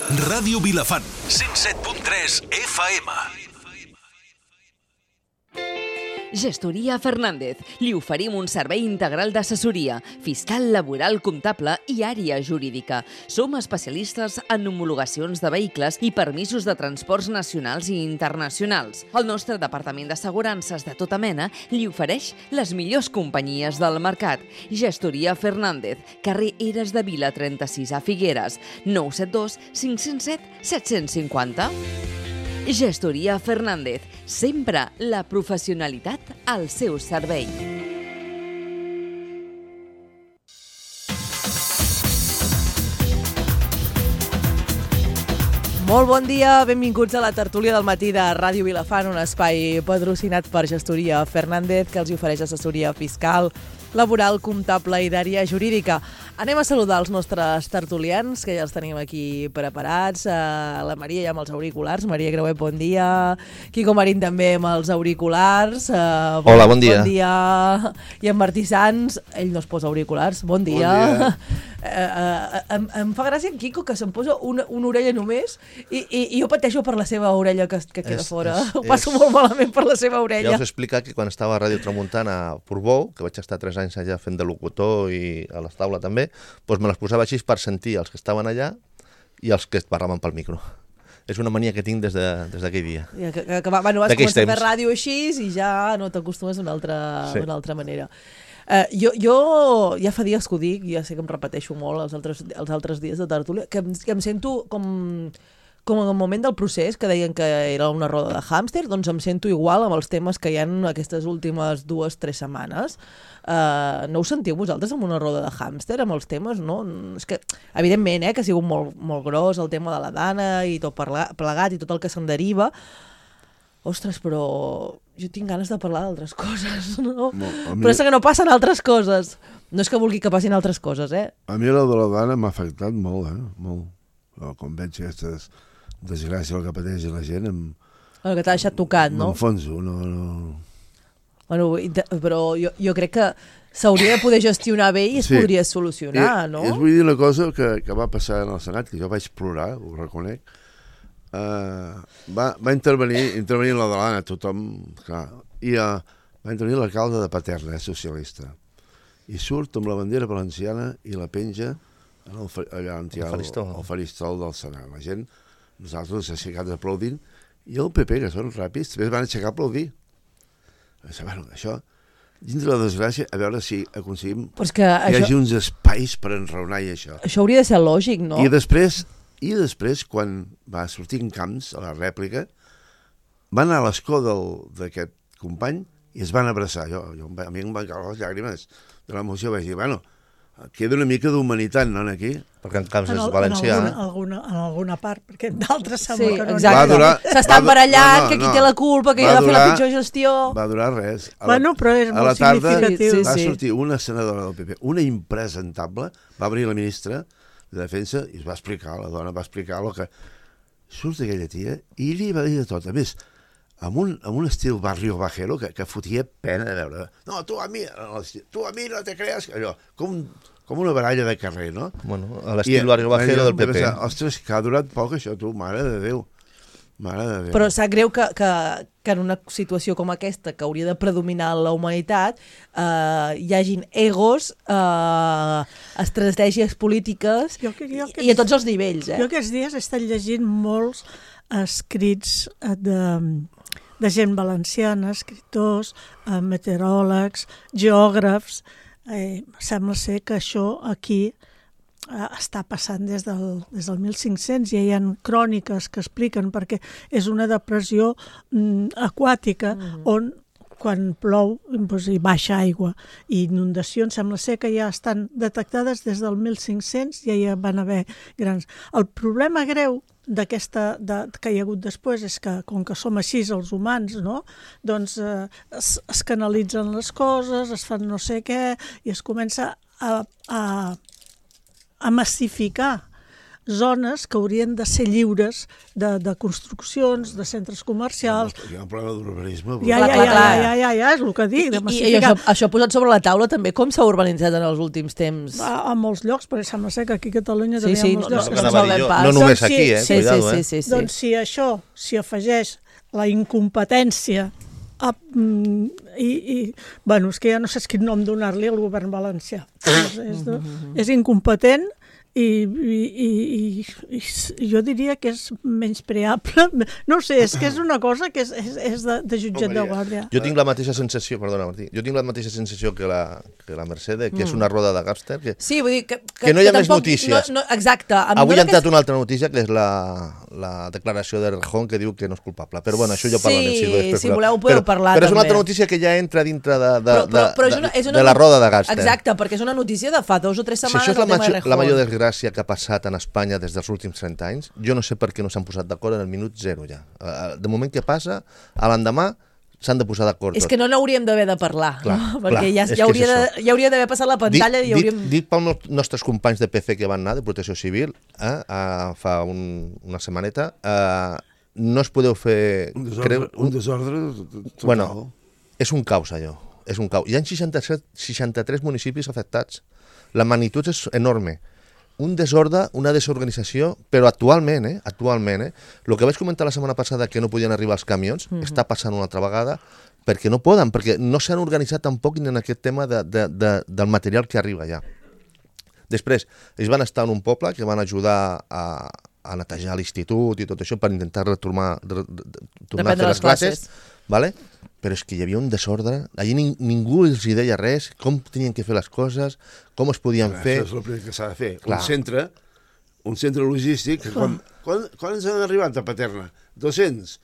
Ràdio Vilafant, 107.3 FM. Gestoria Fernández. Li oferim un servei integral d'assessoria, fiscal, laboral, comptable i àrea jurídica. Som especialistes en homologacions de vehicles i permisos de transports nacionals i internacionals. El nostre departament d'assegurances de tota mena li ofereix les millors companyies del mercat. Gestoria Fernández, carrer Eres de Vila 36 a Figueres, 972 507 750. Gestoria Fernández, sempre la professionalitat al seu servei. Molt bon dia, benvinguts a la tertúlia del matí de Ràdio Vilafant, un espai patrocinat per Gestoria Fernández, que els ofereix assessoria fiscal, laboral, comptable i d'àrea jurídica. Anem a saludar els nostres tertulians, que ja els tenim aquí preparats. La Maria ja amb els auriculars. Maria Grauet, bon dia. Quico Marín també amb els auriculars. Hola, bon dia. Bon dia. I en Martí Sans, ell no es posa auriculars. Bon dia. Bon dia. Em fa gràcia en Quico, que se'm posa una orella només i jo pateixo per la seva orella que queda fora. Ho passo molt malament per la seva orella. Ja us he explicat que quan estava a Ràdio Tramuntana a Portbou, que vaig estar 3 anys allà fent de locutor i a les taules també, doncs me les posava així per sentir els que estaven allà i els que parlaven pel micro. És una mania que tinc des d'aquell dia. Bueno, vas començar a fer ràdio així i ja no t'acostumes d'una altra manera. Jo ja fa dies que ho dic, ja sé que em repeteixo molt els altres dies de tertúlia, que em sento com en el moment del procés, que deien que era una roda de hàmster, doncs em sento igual amb els temes que hi ha aquestes últimes 2-3 setmanes. No us sentiu vosaltres amb una roda de hàmster, amb els temes, no? És que, evidentment, que ha sigut molt gros el tema de la Dana i tot plegat i tot el que se'n deriva. Ostres, però jo tinc ganes de parlar d'altres coses, no? Però és que no passen altres coses. No és que vulgui que passin altres coses, A mi la de la Dana m'ha afectat molt, molt. Com veig aquestes desgràcies que pateix la gent, que t'ha deixat tocat, no? M'enfonso, no. Bueno, però jo crec que s'hauria de poder gestionar bé i es podria solucionar, no? I us vull dir una cosa que va passar en el Senat, que jo vaig plorar, ho reconec. Va intervenir la Delana, tothom, clar, i va intervenir l'alcalde de Paterna, socialista, i surt amb la bandera valenciana i la penja allà on hi ha el faristol del Senat. La gent, nosaltres ens aixecat aplaudint, i el PP, que són ràpids, també es van aixecar a aplaudir. Bueno, això, dins de la desgràcia, a veure si aconseguim que hi hagi uns espais per enraonar i això. Això hauria de ser lògic, no? I després, quan va sortir en Camps, a la rèplica, va anar a l'escó d'aquest company i es van abraçar. A mi em van caure les llàgrimes de l'emoció. Vaig dir, bueno, queda una mica d'humanitat, no, aquí? Perquè en Camps és valencià. En alguna part, perquè d'altres sembla que no. Exacte. S'estan barallant, que qui té la culpa, que hi ha de fer la pitjor gestió. Va durar res. Bueno, però és molt significatiu. Va sortir una senadora del PP, una impresentable, va venir la ministra de Defensa i es va explicar, la dona va explicar el que surt d'aquella tia i li va dir de tot. A més, amb un estil barrio bajero que fotia pena de veure. No, tu a mi no te creas. Allò, com una baralla de carrer, no? Bueno, a l'estil barrio bajero del PP. Ostres, que ha durat poc això, tu, mare de Déu. Però sap greu que en una situació com aquesta, que hauria de predominar la humanitat, hi hagin egos, estratègies polítiques i a tots els nivells. Jo aquests dies he estat llegint molts escrits de gent valenciana, escriptors, meteoròlegs, geògrafs. Sembla ser que això aquí està passant des del 1500, ja hi ha cròniques que expliquen, perquè és una depressió aquàtica on quan plou hi baixa aigua i inundacions sembla ser que ja estan detectades des del 1500, ja hi van haver grans. El problema greu que hi ha hagut després és que, com que som així els humans, no? Doncs es canalitzen les coses, es fan no sé què i es comença a massificar zones que haurien de ser lliures de construccions, de centres comercials. Hi ha un problema d'urbanisme. Ja, és el que dic. I això posat sobre la taula també com s'ha urbanitzat en els últims temps? A molts llocs, perquè sembla ser que aquí a Catalunya també hi ha molts llocs. No només aquí, cuidado. Doncs si això s'hi afegeix la incompetència bueno, és que ja no sé quin nom donar-li al govern valencià. És incompetent i jo diria que és menyspreable. No sé, és que és una cosa que és de jutjat de guàrdia. Jo tinc la mateixa sensació, perdona Martí, que la Mercè, que és una roda de gàngster, sí, vull dir que no hi ha més notícies. Exacte. Avui ha entrat una altra notícia, que és la declaració de Rejón, que diu que no és culpable. Però bueno, això ja parlarem. Sí, si voleu podeu parlar també. Però és una altra notícia que ja entra dintre de la roda de gàngster. Exacte, perquè és una notícia de fa 2 o 3 setmanes. Si això és la major desgràcia que ha passat en Espanya des dels últims 30 anys, jo no sé per què no s'han posat d'acord en el minut 0 ja. De moment que passa, a l'endemà s'han de posar d'acord. És que no n'hauríem d'haver de parlar, perquè ja hauria d'haver passat la pantalla i hauríem... Dit pels nostres companys de PC que van anar, de Protecció Civil, fa una setmaneta, no es podeu fer... Un desordre total. Bueno, és un caos allò, és un caos. Hi ha 63 municipis afectats. La magnitud és enorme. Un desordre, una desorganització, però actualment, el que vaig comentar la setmana passada, que no podien arribar els camions, està passant una altra vegada, perquè no poden, perquè no s'han organitzat tampoc en aquest tema del material que arriba allà. Després, ells van estar en un poble que van ajudar a netejar l'institut i tot això per intentar tornar a fer les classes, vale? Però és que hi havia un desordre, allí ningú els hi deia res, com tenien que fer les coses, com es podien fer... Això és el primer que s'ha de fer. Un centre logístic, quan ens han arribat a Paterna? 200?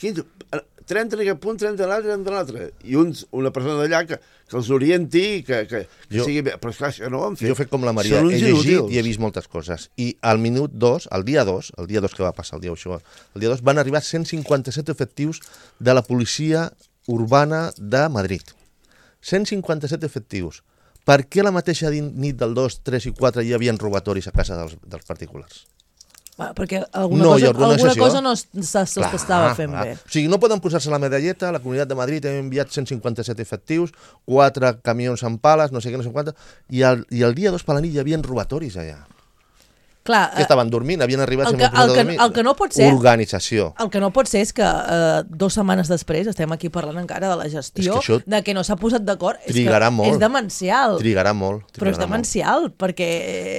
30 en aquest punt, 30 en l'altre, 30 en l'altre. I una persona d'allà que els orienti, que sigui bé. Però esclar, això no ho han fet. Jo he fet com la Maria, he llegit i he vist moltes coses. I al minut 2, el dia 2 que va passar, el dia 2, van arribar 157 efectius de la policia urbana de Madrid. 157 efectius. Per què la mateixa nit del 2, 3 i 4 hi havia robatoris a casa dels particulars? Perquè alguna cosa no s'estava fent bé. O sigui, no poden posar-se la medalleta, la Comunitat de Madrid hem enviat 157 efectius, 4 camions amb pales, no sé què, no sé quanta, i el dia 2 per la nit hi havia robatoris allà. Clar, que estaven dormint, havien arribat el que no pot ser, organització. El que no pot ser és que 2 setmanes després estem aquí parlant encara de la gestió, de que no s'ha posat d'acord. Trigarà molt. És demencial. Trigarà molt. Però és demencial, perquè...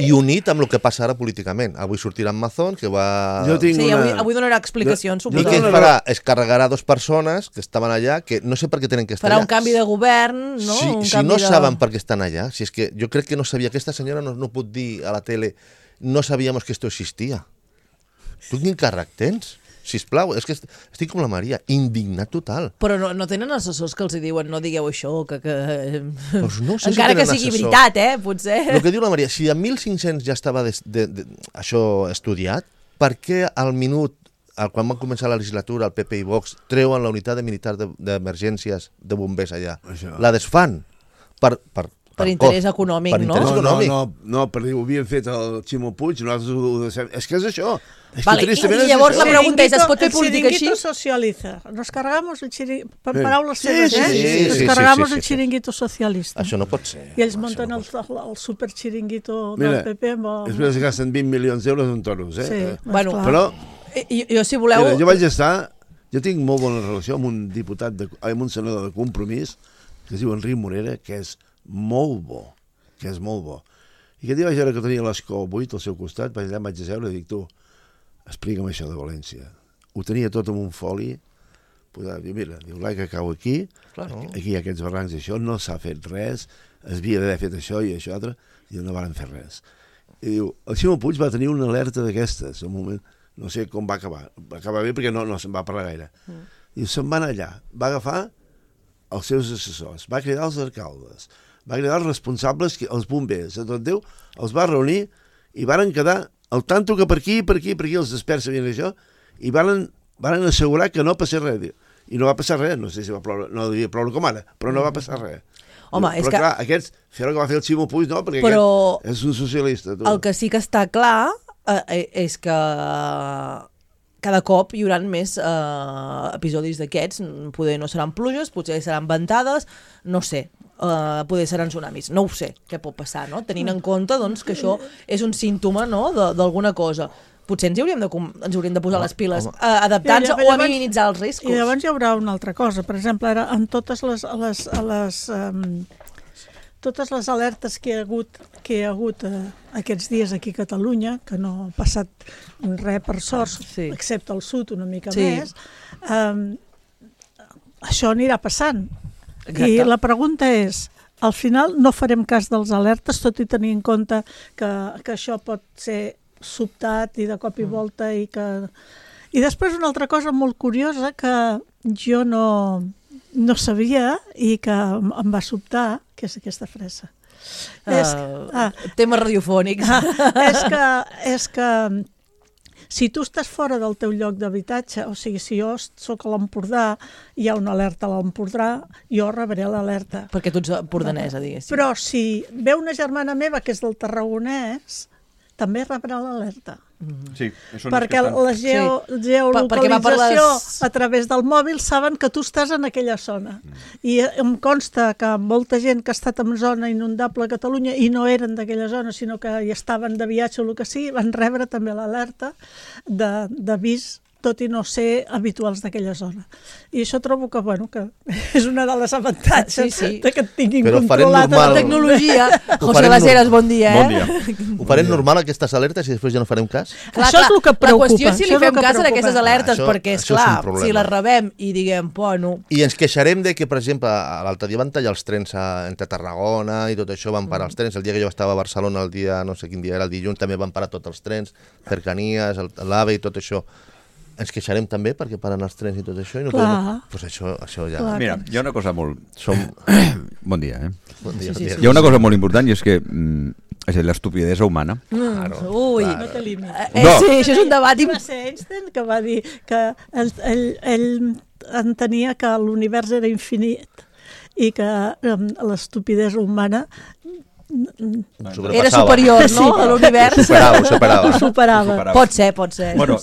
I unit amb el que passa ara políticament. Avui sortirà en Mazón, que va... Avui donarà explicacions. I què farà? Es carregarà 2 persones que estaven allà, que no sé per què tenen que estar allà. Farà un canvi de govern, no? Si no saben per què estan allà, si és que jo crec que no sabia, aquesta senyora no pot dir a la tele no sabíamos que esto existía. Tu quin càrrec tens? Sisplau, és que estic com la Maria, indignat total. Però no tenen assessors que els diuen no digueu això, pues no sé encara que sigui veritat, potser. El que diu la Maria, si a 1.500 ja estava això estudiat, per què al minut, quan van començar la legislatura, el PP i Vox treuen la unitat militar d'emergències de bombers allà? La desfan per interès econòmic, no? No, perquè ho havien fet el Ximo Puig, nosaltres ho deixem. És que és això. I llavors la pregunta és, es pot fer política així? El chiringuito socializa. Nos cargamos el chiringuito, paraules seves, Nos cargamos el chiringuito socialista. Això no pot ser. I ells munten el super chiringuito del PP. Després es gasten 20 milions d'euros en toros, Sí, però... Jo, si voleu... Jo vaig estar... Jo tinc molt bona relació amb un diputat, amb un senador de Compromís, que es diu Enric Morera, que és molt bo, I aquest dia vaig veure que tenia l'escó buit al seu costat, vaig asseure i dic, tu, explica'm això de València. Ho tenia tot en un foli, diu, mira, l'aigua cau aquí, aquí hi ha aquests barrancs i això, no s'ha fet res, es havia d'haver fet això i això altre, i no van fer res. I diu, el Ximo Puig va tenir una alerta d'aquestes, un moment, no sé com va acabar bé perquè no se'n va parlar gaire. Diu, se'n va anar allà, va agafar els seus assessors, va cridar els alcaldes, va cridar els responsables, els bombers, tot Déu, els va reunir i varen quedar al tanto que per aquí els experts sabien això, i varen assegurar que no passés res. I no va passar res, no sé si va ploure, no devia ploure com ara, però no va passar res. Home, però clar, fer el que va fer el Ximo Puig, no, perquè aquest és un socialista. El que sí que està clar és que cada cop hi haurà més episodis d'aquests, poder no seran pluges, potser seran ventades, no sé, poder seran tsunamis, no ho sé què pot passar, no? Tenint en compte doncs, que això és un símptoma, no? d'alguna cosa. Potser ens hauríem de posar les piles adaptant-se o a minimitzar els riscos. I llavors hi haurà una altra cosa. Per exemple, ara, en totes les alertes que hi ha hagut aquests dies aquí a Catalunya, que no ha passat res per sort, excepte al sud una mica més, això anirà passant. Exacte. I la pregunta és, al final no farem cas dels alertes, tot i tenir en compte que això pot ser sobtat i de cop i volta i després una altra cosa molt curiosa que jo no sabia i que em va sobtar, que és aquesta fresa. Temes radiofònics. És que si tu estàs fora del teu lloc d'habitatge, o sigui, si jo soc a l'Empordà, hi ha una alerta a l'Empordà, jo rebré l'alerta. Perquè tu ets empordanesa, diguéssim. Però si ve una germana meva que és del Tarragonès, també rebrà l'alerta. Sí, perquè la geolocalització a través del mòbil saben que tu estàs en aquella zona. I em consta que molta gent que ha estat en zona inundable a Catalunya i no eren d'aquella zona, sinó que hi estaven de viatge o el que sigui, van rebre també l'alerta d'avís, tot i no ser habituals d'aquella zona. I això trobo que, que és una de les avantatges de que et tinguin controlat la tecnologia. José Las Heras, bon dia. Bon dia. Ho farem normal, aquestes alertes, i després ja no farem cas? Això és el que preocupa. La qüestió és si li fem cas a aquestes alertes, perquè, esclar, si les rebem i diguem, bueno... I ens queixarem de que, per exemple, l'altre dia van tallar els trens entre Tarragona i tot això, van parar els trens. El dia que jo estava a Barcelona, el dia, no sé quin dia era, el dilluns, també van parar tots els trens, cercanies, l'AVE i tot això. Ens queixarem també perquè paren els trens i tot això? I no podem... Pues això ja... Clar. Mira, hi ha una cosa molt... Bon dia, Bon dia, Hi ha una cosa molt important i és que és l'estupidesa humana. Ui, no té límit. Sí, això és un debat... Va ser Einstein que va dir que ell entenia que l'univers era infinit i que l'estupidesa humana era superior, no?, a l'univers. Ho superava. Pot ser. Bueno,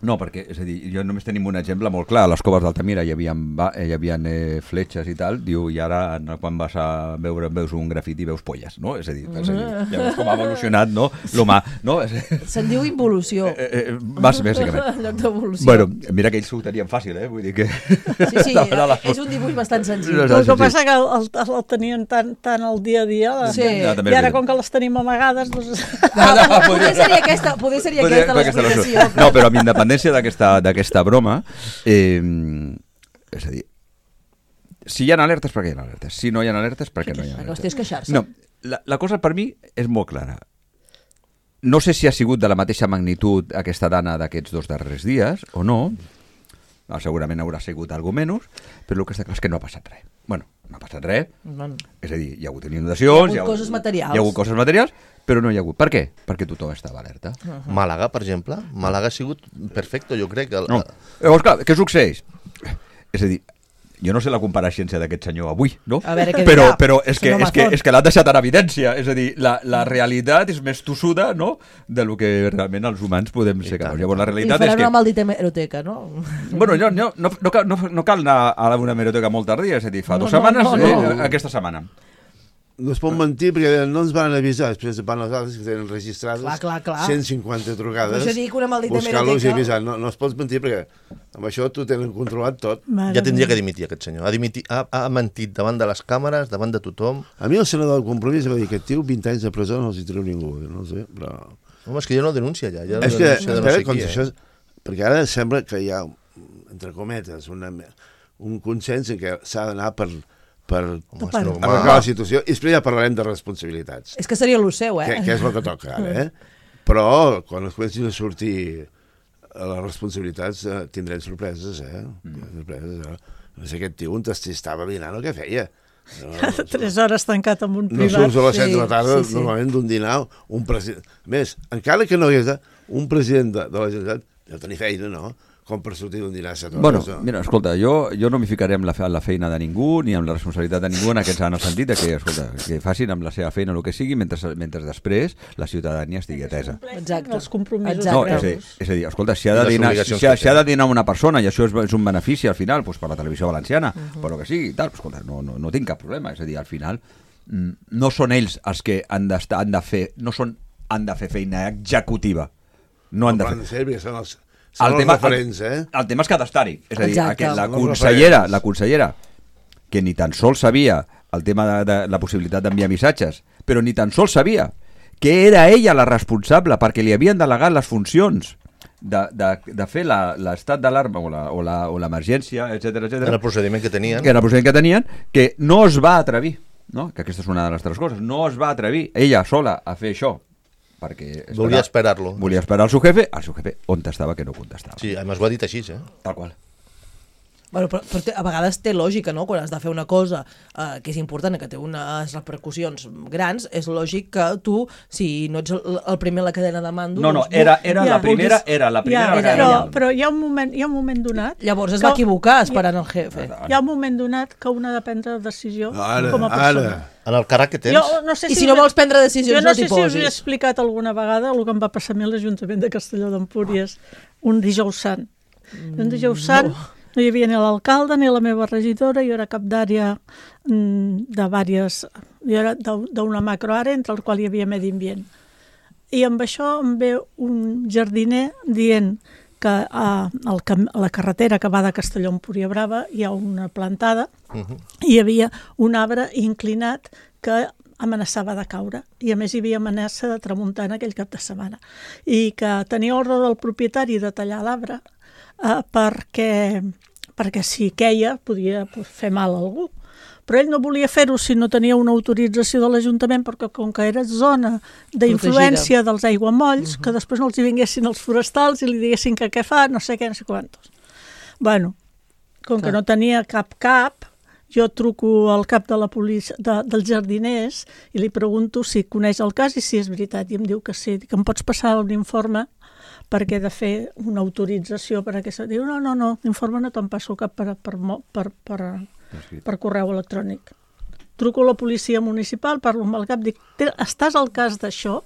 no, perquè, és a dir, jo només tenim un exemple molt clar. A les Coves d'Altamira hi havia fletxes i tal, diu, i ara quan vas a veus un grafiti veus polles, no? És a dir, ja veus com ha evolucionat, no?, l'humà, no? Se'n diu involució. Bàsicament. En lloc d'evolució. Bueno, mira que ells ho tenien fàcil, vull dir que... Sí, és un dibuix bastant senzill. El que passa que el tenien tan al dia a dia, i ara com que les tenim amagades, doncs... Poder seria aquesta l'explicació. No, però amb independència d'aquesta broma, és a dir, si hi ha alertes, per què hi ha alertes? Si no hi ha alertes, per què no hi ha alertes? La qüestió és queixar-se. No, la cosa per mi és molt clara. No sé si ha sigut de la mateixa magnitud aquesta dana d'aquests 2 darrers dies o no, segurament haurà sigut algo menys, però el que està clar és que no ha passat res. Bueno, no ha passat res, és a dir, hi ha hagut inundacions, hi ha hagut coses materials, però no hi ha hagut. Per què? Perquè tothom estava alerta. Màlaga, per exemple. Màlaga ha sigut perfecte, jo crec. Llavors, clar, què succeeix? És a dir, jo no sé la compareixença d'aquest senyor avui, no? A veure què dirà. Però és que l'ha deixat en evidència. És a dir, la realitat és més tossuda, no?, de lo que realment els humans podem ser capaços. Llavors, la realitat és que... I faran una maldita hemeroteca, no? Bueno, no cal anar a una hemeroteca molt tardia, és a dir, fa 2 setmanes, aquesta setmana. No es pot mentir perquè no ens van avisar, després van les altres que tenen registrades 150 trucades, buscar-los i avisar. No es pot mentir perquè amb això tu tenen controlat tot. Ja tindria que dimitir aquest senyor. Ha mentit davant de les càmeres, davant de tothom. A mi el senador del Compromís va dir que tio 20 anys de presó no els hi treu ningú, no sé, però... Home, és que ja no denuncia ja. És que, espera, perquè ara sembla que hi ha, entre cometes, un consens en què s'ha d'anar per arreglar la situació, i després ja parlarem de responsabilitats. És que seria el seu, que és el que toca ara, Però quan es comencin a sortir les responsabilitats tindrem sorpreses, No sé, aquest tio on estava dinant o què feia. 3 hores tancat amb un privat. No surts a les 7 de la tarda, normalment d'un dinar, un president... A més, encara que no hi hagués un president de la Generalitat, deu tenir feina, no? com per sortir d'un dinar a 7 hores. Bueno, mira, escolta, jo no m'hi ficaré amb la feina de ningú ni amb la responsabilitat de ningú en el sentit de que, escolta, que facin amb la seva feina el que sigui mentre després la ciutadania estigui atesa. Exacte. Els compromisos. No, és a dir, escolta, si ha de dinar una persona i això és un benefici al final per la televisió valenciana, per el que sigui, tal, escolta, no tinc cap problema. És a dir, al final no són ells els que han de fer feina executiva. No han de fer. Són els referents, el tema és que ha d'estar-hi. És a dir, Exacte. la consellera, que ni tan sols sabia el tema de la possibilitat d'enviar missatges, però ni tan sols sabia que era ella la responsable perquè li havien delegat les funcions de fer l'estat d'alarma o l'emergència, etc. En el procediment que tenien. Que no es va atrevir, no? Que aquesta és una de les altres coses, no es va atrevir ella sola a fer això, perquè volia esperar-lo. Volia esperar el seu jefe on estava que no contestava. Sí, a més ho ha dit així, Tal qual. Bueno, però a vegades té lògica, no? Quan has de fer una cosa que és important, que té unes repercussions grans, és lògic que tu, si no ets el primer a la cadena de mando... No, era la primera vegada. Però hi ha un moment donat... Llavors es va equivocar esperant el jefe. Hi ha un moment donat que una ha de prendre decisió com a persona. En el càrrec que tens. I si no vols prendre decisions, no t'hi posis. Jo no sé si us he explicat alguna vegada el que em va passar a mi a l'Ajuntament de Castelló d'Empúries un dijous sant. Un dijous sant... No hi havia ni l'alcalde ni la meva regidora, jo era cap d'àrea d'una macroàrea entre el qual hi havia medi ambient. I amb això em ve un jardiner dient que a la carretera que va de Castelló a Empúria Brava hi ha una plantada i hi havia un arbre inclinat que amenaçava de caure i a més hi havia amenaça de tramuntana aquell cap de setmana i que tenia ordre del propietari de tallar l'arbre perquè si queia podia fer mal a algú. Però ell no volia fer-ho si no tenia una autorització de l'Ajuntament perquè com que era zona d'influència dels aiguamolls, que després no els hi vinguessin els forestals i li diguessin que què fa, no sé què, no sé quantos. Bueno, com que no tenia cap, jo truco al cap de la policia, dels jardiners i li pregunto si coneix el cas i si és veritat. I em diu que sí, que em pots passar un informe perquè he de fer una autorització per aquesta... Diu, no, l'informe no te'n passo cap per correu electrònic. Truco a la policia municipal, parlo amb el cap, dic, estàs al cas d'això?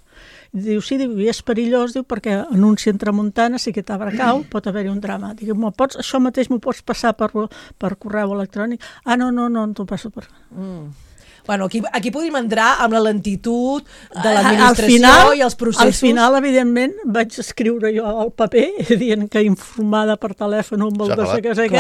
Diu, sí, i és perillós, diu, perquè anuncien tramuntana, si aquest arbre cau, pot haver-hi un drama. Dic, això mateix m'ho pots passar per correu electrònic? No t'ho passo per... Bueno, aquí podríem entrar amb la lentitud de l'administració i els processos. Al final, evidentment, vaig escriure jo al paper dient que informada per telèfon amb el de sé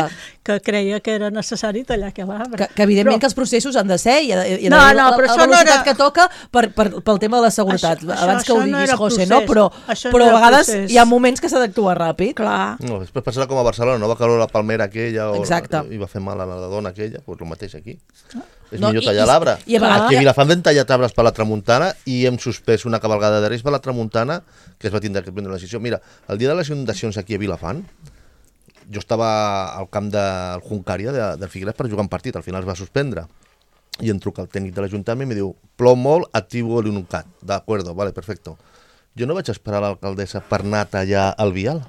que creia que era necessari tallar aquell arbre. Que evidentment que els processos han de ser i ha no, però la velocitat que toca pel tema de la seguretat. Abans que ho diguis, José, no? Però a vegades hi ha moments que s'ha d'actuar ràpid. Clar. No, després passarà com a Barcelona, no va caure la palmera aquella i va fer mal a la dona aquella, doncs el mateix aquí. És millor tallar l'arbre. Aquí a Vilafant vam tallar arbres per la tramuntana i hem suspès una cabalgada de Reis per la tramuntana que es va tindre que prendre una decisió. Mira, el dia de les inundacions aquí a Vilafant, jo estava al camp del Juncària de Figueres per jugar un partit, al final es va suspendre. I em truca el tècnic de l'Ajuntament i em diu, plou molt, activo l'INUCAT. D'acord, vale, perfecto. Jo no vaig esperar l'alcaldessa per anar a tallar el vial.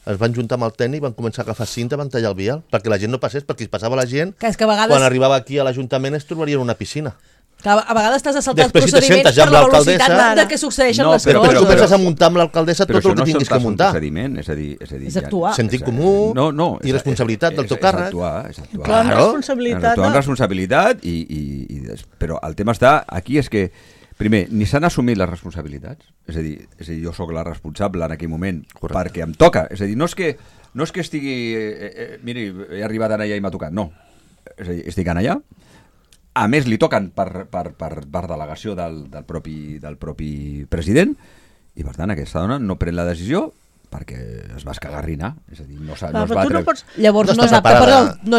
Es van juntar amb el tècnic, van començar a agafar cinta, van tallar el vial, perquè la gent no passés, perquè si passava la gent, quan arribava aquí a l'Ajuntament es trobaria en una piscina. A vegades t'has de saltar els procediments per la velocitat de què succeeixen les coses. Però tu penses a muntar amb l'alcaldessa tot el que tinguis que muntar. És actuar. Sentit comú i responsabilitat del teu càrrec. És actuar amb responsabilitat, però el tema està aquí és que primer, ni s'han assumit les responsabilitats, és a dir, jo sóc la responsable en aquell moment perquè em toca, és a dir, no és que estigui, miri, he arribat allà i m'ha tocat, no, és a dir, estic allà, a més li toquen per delegació del propi president i per tant aquesta dona no pren la decisió perquè es va escagarrinar, és a dir, no es va atreure. Llavors no és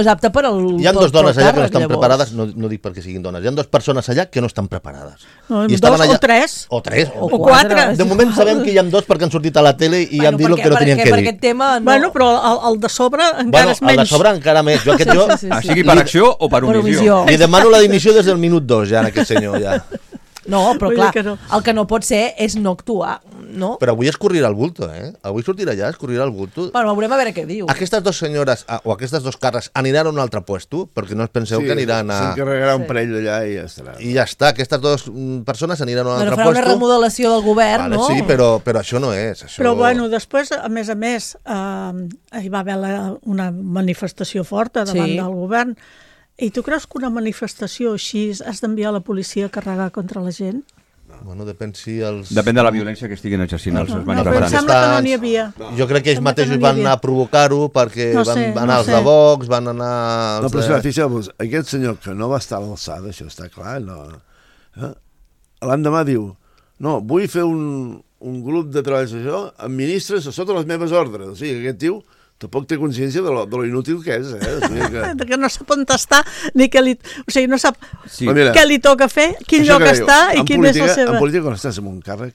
apte per al... Hi ha dues dones allà que no estan preparades, no dic perquè siguin dones, hi ha dues persones allà que no estan preparades. O tres. O quatre. De moment sabem que hi ha dos perquè han sortit a la tele i han dit el que no tenien que dir. Bueno, però el de sobre encara és menys. El de sobre encara més. Sigui per acció o per omissió. Li demano la dimissió des del minut 2 ja en aquest senyor, ja. No, però clar, el que no pot ser és no actuar no? Però avui es corrirà el bulto, Avui sortirà allà, es corrirà el bulto. Bueno, veurem a veure què diu. Aquestes dues senyores, o aquestes dos carres, aniran a un altre puesto, perquè no us penseu que aniran a... S'encarregarà un parell d'allà i ja estarà. I ja està, aquestes dues persones aniran a un altre farà puesto. una remodelació del govern, vale, no? Sí, però això no és. Això... Però bueno, després, a més, hi va haver una manifestació forta davant del govern. I tu creus que una manifestació així has d'enviar la policia a carregar contra la gent? Bueno, depèn si els... Depèn de la violència que estiguin exercint els Però em manifestants. sembla que no n'hi havia. Jo crec que ells mateixos van anar a provocar-ho perquè van anar els de Vox, van anar... No, però si fixeu-vos, aquest senyor que no va estar a l'alçada, això està clar, no... L'endemà diu, no, vull fer un grup de treballs d'això amb ministres sota les meves ordres. O sigui, aquest tio tampoc té consciència de lo inútil que és, O sigui que no sap on està, ni què li... O sigui, no sap mira, què li toca fer, quin lloc està i quin és la seva... En política, quan estàs en un càrrec,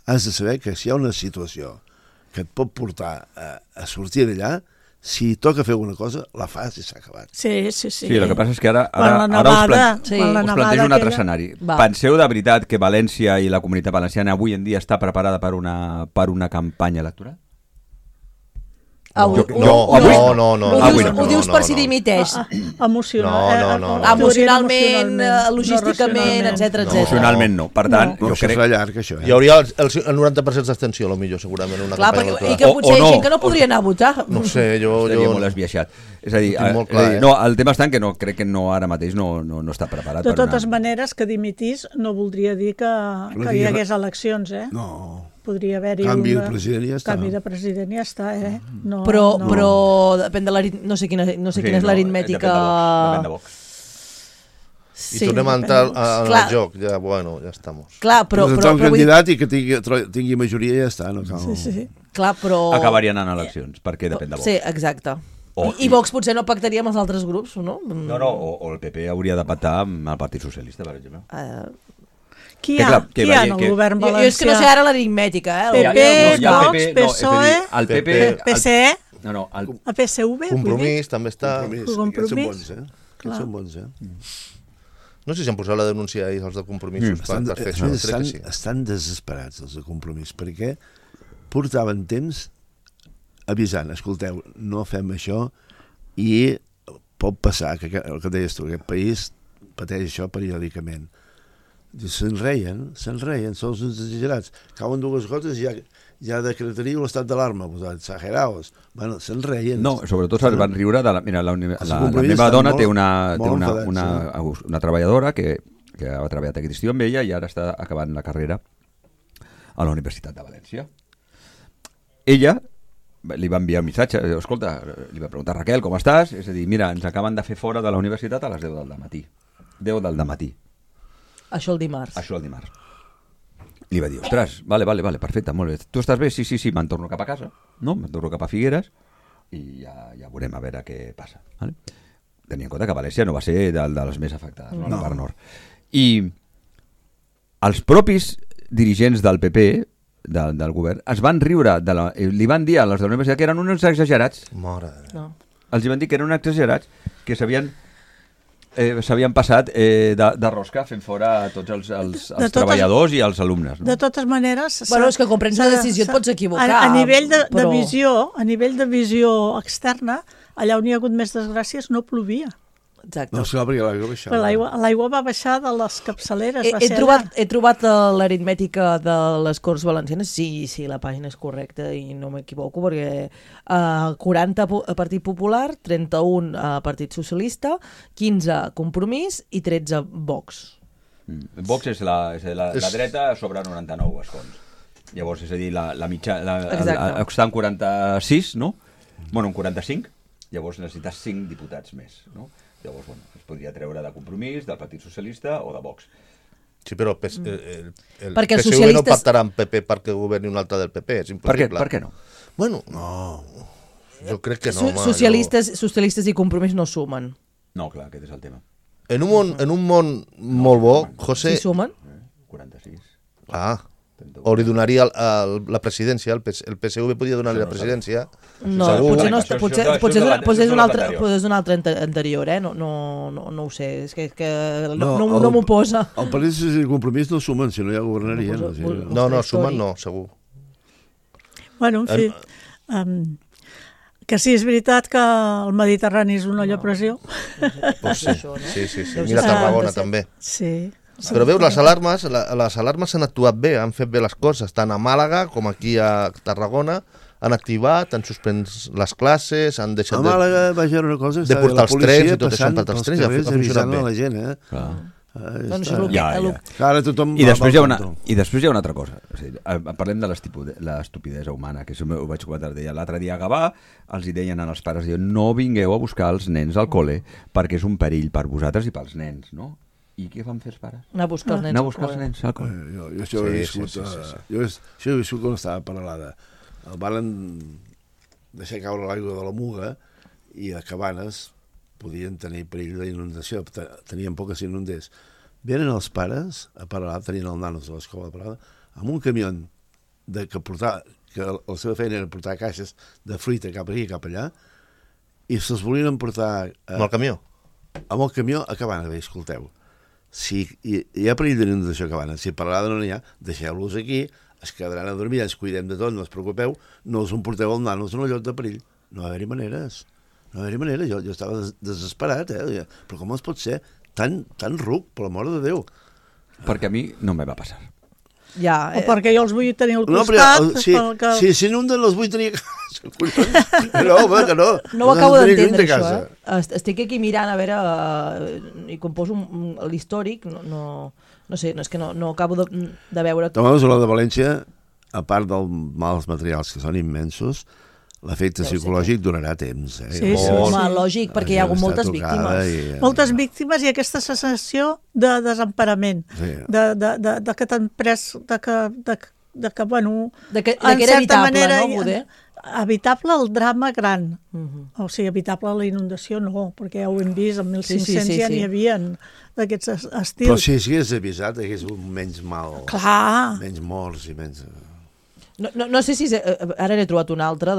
has de saber que si hi ha una situació que et pot portar a sortir d'allà, si toca fer alguna cosa, la fas i s'ha acabat. Sí. Sí, el que passa és que ara us plantejo un altre escenari. Penseu de veritat que València i la Comunitat Valenciana avui en dia està preparada per una campanya electoral? No. Ho dius per si dimiteix. Emocional. Emocionalment, logísticament, etc. Emocionalment no. Per tant, jo crec... Serà llarg, això. Hi hauria el 90% d'abstenció, potser, segurament, una campanya electoral. I que potser hi ha gent que no podria anar a votar. No sé, jo... Estaria molt esbiaixat. És a dir, no, el tema està en que crec que ara mateix no està preparat. De totes maneres, que dimitís no voldria dir que hi hagués eleccions, No. Podria haver-hi canvi de president i ja està. Canvi de president i ja està, No, però depèn de no sé quina és l'aritmètica... Depèn de Vox. I tornem a entrar en el joc, ja estamos. Clar, però un candidat i que tingui majoria ja està, no cal. Sí. Clar, però... Acabarien en eleccions, perquè depèn de Vox. Sí, exacte. I Vox potser no pactaria amb els altres grups, no? No, o el PP hauria de pactar amb el Partit Socialista, per exemple. Qui hi ha en el govern valencià? Jo és que no sé ara l'aritmètica, PP, Vox, PSOE, el PP... PSE, el PSV... Compromís també està... Compromís. Aquests són bons, No sé si han posat la denúncia ells, els de Compromisos, per fer això. Estan desesperats, els de Compromís, perquè portaven temps avisant, escolteu, no fem això i pot passar, que el que deies tu, aquest país pateix això periòdicament. Se'n reien, són uns exagerats. Cauen dues gotes i ja decretaria l'estat d'alarma, exageraos. Bueno, se'n reien. No, sobretot se'n van riure de mira, la meva dona té una treballadora que ha treballat aquest estiu amb ella i ara està acabant la carrera a la Universitat de València. Ella li va enviar un missatge, escolta, li va preguntar Raquel, com estàs? És a dir, mira, ens acaben de fer fora de la universitat a les 10 del matí. 10 del matí. Això el dimarts. Li va dir, ostres, vale, perfecte, molt bé. Tu estàs bé? Sí, me'n torno cap a casa, no? Me'n torno cap a Figueres i ja veurem a veure què passa. Vale? Tenia en compte que València no va ser de les més afectades, no? La part nord. I els propis dirigents del PP, del govern, es van riure, li van dir a les de la universitat que eren uns exagerats. Els van dir que eren uns exagerats, que s'havien passat de rosca fent fora tots els treballadors i els alumnes. De totes maneres... Bueno, és que quan prens una decisió et pots equivocar. A nivell de visió externa, allà on hi ha hagut més desgràcies no plovia. Exacte. No, perquè l'aigua baixava. L'aigua va baixar de les capçaleres. He trobat l'aritmètica de les Corts Valencianes, sí, la pàgina és correcta i no m'equivoco, perquè 40 a Partit Popular, 31 a Partit Socialista, 15 Compromís i 13 Vox. Vox és la dreta sobre 99 escons. Llavors, és a dir, la mitjana està en 46, no? Bueno, en 45, llavors necessites 5 diputats més, no? Llavors, es podria treure de Compromís, del Partit Socialista o de Vox. Sí, però el PSV no pactarà amb PP perquè governi un altre del PP, és impossible. Per què no? Bueno, no, jo crec que no. Socialistes i Compromís no sumen. No, clar, aquest és el tema. En un món molt bo, José... Sí sumen? 46. O li donaria la presidència, el PSV podia donar-li la presidència. No, potser és un altre anterior, no ho sé, és que no m'ho posa. El Partit Socialista i Compromís no sumen, si no ja governaria. No, sumen no, segur. Bueno, en fi, que sí, és veritat que el Mediterrani és una olla a pressió. Pues sí. Mira Tarragona també. Sí. Però veus, les alarmes han actuat bé, han fet bé les coses, tant a Màlaga com aquí a Tarragona, han activat, han suspès les classes, han deixat a Màlaga va haver una cosa, de portar els trens i tot això, per els trens, ja ha funcionat bé. La gent, Ara tothom I després hi ha una altra cosa. O sigui, parlem de l'estupidesa humana, que això ho vaig comentar l'altre dia a Gavà, els hi deien als pares, no vingueu a buscar els nens al cole perquè és un perill per vosaltres i pels nens, no? I què van fer els pares? Anar a buscar els nens al col·le. Jo això ho he viscut. Jo he viscut quan estava paral·lada. El van deixar caure l'aigua de la Muga i a Cabanes podien tenir perill d'inundació. Tenien por que s'inundés. Venen els pares a Paralada, tenien el nanos de l'escola de Paralada, amb un camió que la seva feina era portar caixes de fruita cap aquí i cap allà, i se'ls volien emportar... Amb el camió? Amb el camió a Cabanes, escolteu. Si hi ha perill d'inundació a Cabanes, si a Paralada no n'hi ha, deixeu-los aquí, es quedaran a dormir, ens cuidem de tot, no us preocupeu, no us emporteu els nanos en un lloc de perill. No va haver-hi maneres. Jo estava desesperat, però com es pot ser tan ruc, per l'amor de Déu? Perquè a mi no me va passar. Ja, o perquè jo els vull tenir al costat. Si s'inunden els vull tenir a casa. No, home, que no. No ho acabo d'entendre, això. Estic aquí mirant, a veure, i quan poso l'històric, no sé, és que no acabo de veure... Tomamos la de València, a part dels mals materials que són immensos, l'efecte psicològic durarà temps. Sí, lògic, perquè hi ha hagut moltes víctimes. Moltes víctimes i aquesta sensació de desemparament, de que t'han pres, de que, bueno, en certa manera, evitable el drama gran. O sigui, evitable la inundació no, perquè ja ho hem vist, en 1500 ja n'hi havia d'aquests estils. Però si hagués avisat, hagués un menys mal, menys morts i menys... No sé si... Ara n'he trobat una altra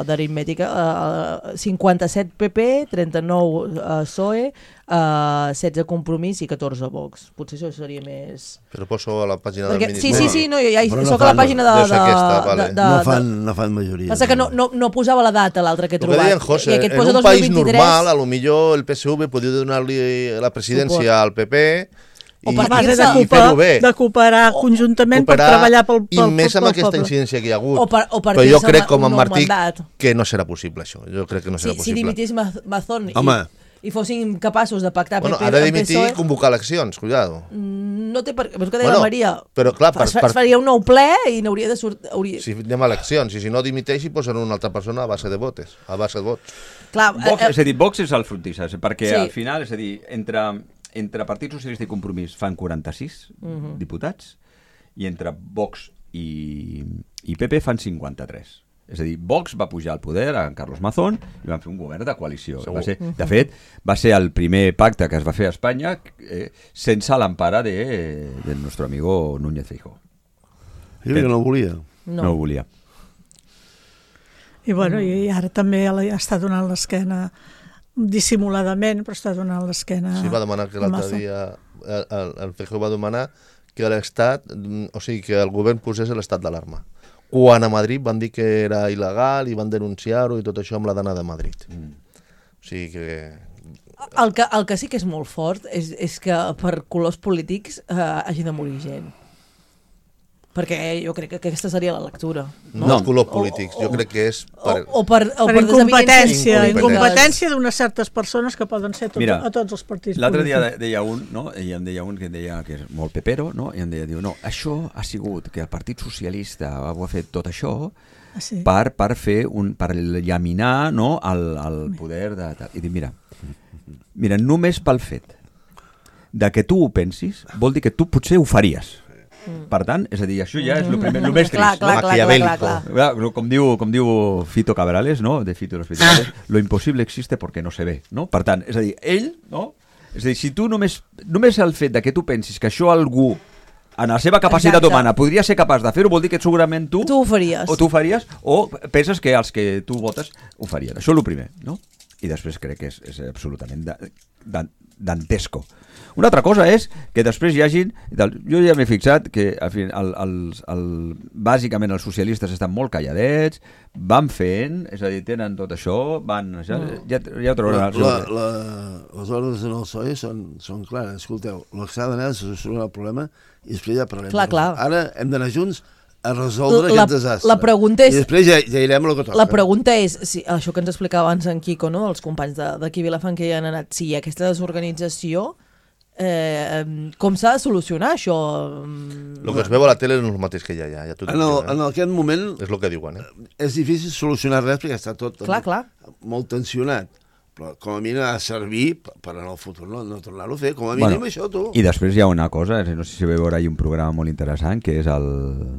d'aritmètica. 57 PP, 39 PSOE, 16 Compromís i 14 Vox. Potser això seria més... Però poso a la pàgina del ministre. Sí, ja soc a la pàgina de... No fan majoria. Passa que no posava la data, l'altre que he trobat. Ho deien, José, en un país normal, a lo millor el PSV podia donar-li la presidència al PP... O per base de cooperar conjuntament per treballar pel poble. I més amb aquesta incidència que hi ha hagut. Però jo crec, com en Martí, que no serà possible això. Jo crec que no serà possible. Si dimitís Mazón i fossin capaços de pactar PP amb PSOE... Ha de dimitir i convocar eleccions, cuidado. No té per què, però que deia la Maria. Però clar, es faria un nou ple i n'hauria de sortir... Si anem a eleccions, i si no dimiteix i posen una altra persona a base de vots. És a dir, Vox és el frontissa, perquè al final, és a dir, entre Partit Socialista i Compromís fan 46 diputats i entre Vox i PP fan 53. És a dir, Vox va pujar al poder a Carlos Mazón i van fer un govern de coalició. De fet, va ser el primer pacte que es va fer a Espanya sense l'empara del nostre amigo Núñez Feijóo. I que no ho volia. No ho volia. I bueno, i ara també està donant l'esquena dissimuladament, però està donant l'esquena. Sí, va demanar que l'altre dia el Feijóo va demanar que l'Estat, o sigui, que el govern posés l'estat d'alarma. Quan a Madrid van dir que era il·legal i van denunciar-ho i tot això amb la dana de Madrid. O sigui que... El que sí que és molt fort és que per colors polítics hagi de morir gent. Perquè jo crec que aquesta seria la lectura. No els colors polítics, jo crec que és per incompetència d'unes certes persones que poden ser a tots els partits polítics. L'altre dia deia un, no? I em deia un que deia que és molt pepero, no? I em deia, no, això ha sigut que el Partit Socialista ha fet tot això per fer per llaminar, no, el poder de... I dic, mira, només pel fet de que tu ho pensis vol dir que tu potser ho faries. Per tant, és a dir, això ja és el més trist. Clar. Com diu Fito Cabrales, no? De Fito y los Fitales, lo imposible existe porque no se ve, no? Per tant, és a dir, ell, no? És a dir, si tu només el fet de que tu pensis que això algú en la seva capacitat humana podria ser capaç de fer-ho, vol dir que segurament tu ho faries. O tu ho faries, o penses que els que tu votes ho farien. Això és el primer, no? I després crec que és absolutament dantesco. Una altra cosa és que després hi hagin... Jo ja m'he fixat que bàsicament els socialistes estan molt calladets, van fent, és a dir, tenen tot això, van... Ja ho trobarà. Les ordres en el PSOE són clares. Escolteu, el que s'ha d'anar és solucionar el problema i després ja parlem. Clar. Ara hem d'anar junts a resoldre aquest desastre. La pregunta és... I després ja irem a lo que toca. La pregunta és, si, això que ens explicava abans en Quico, no? Els companys d'aquí Vilafant que hi han anat, si hi ha aquesta desorganització, com s'ha de solucionar això? El que es veu a la tele no és el mateix que hi ha allà. En aquest moment és el que diuen. És difícil solucionar res perquè està tot molt tensionat. Però com a mínim ha de servir per en el futur no tornar-ho a fer. Com a mínim això, tu. I després hi ha una cosa, no sé si veu ara hi ha un programa molt interessant, que és el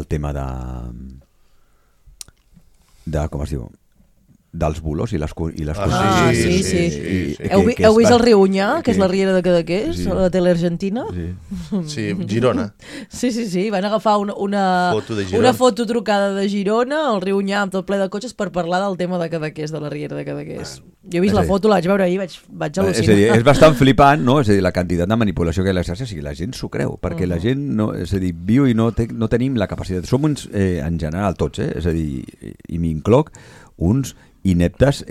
tema de com es diu, dels bulos i les sí. Heu vist el Riunyà, que és la riera de Cadaqués, a la tele argentina? Sí, Girona. Sí, van agafar una foto trucada de Girona, el Riunyà amb tot ple de cotxes per parlar del tema de Cadaqués, de la riera de Cadaqués. Jo he vist la foto, la vaig veure ahir, vaig al·lucinar. És a dir, és bastant flipant, no? És a dir, la quantitat de manipulació que hi ha a les xarxes, i la gent s'ho creu, perquè la gent, és a dir, viu i no tenim la capacitat. Som uns, en general, tots, és a dir, i m'incloc, uns ineptes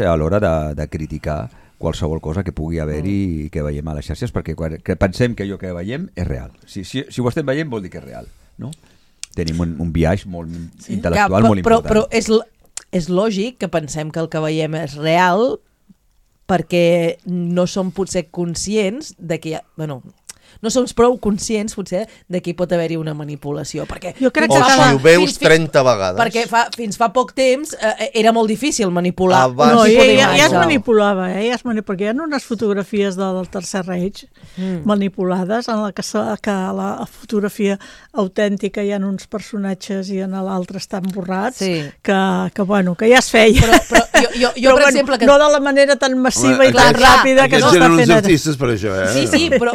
a l'hora de criticar qualsevol cosa que pugui haver-hi i que veiem a les xarxes, perquè pensem que allò que veiem és real. Si ho estem veient vol dir que és real, no? Tenim un viatge molt intel·lectual molt important. Però és lògic que pensem que el que veiem és real perquè no som potser conscients de que no som prou conscients, potser, de que hi pot haver-hi una manipulació. Jo crec que si ho veus 30 vegades. Perquè fins fa poc temps era molt difícil manipular. Ja es manipulava, perquè hi ha unes fotografies del Tercer Reich manipulades en que la fotografia autèntica hi ha uns personatges i en l'altre estan borrats, que ja es feia. Però per exemple... No de la manera tan massiva i tan ràpida que s'està fent ara. Aquests eren uns artistes per això, Sí, però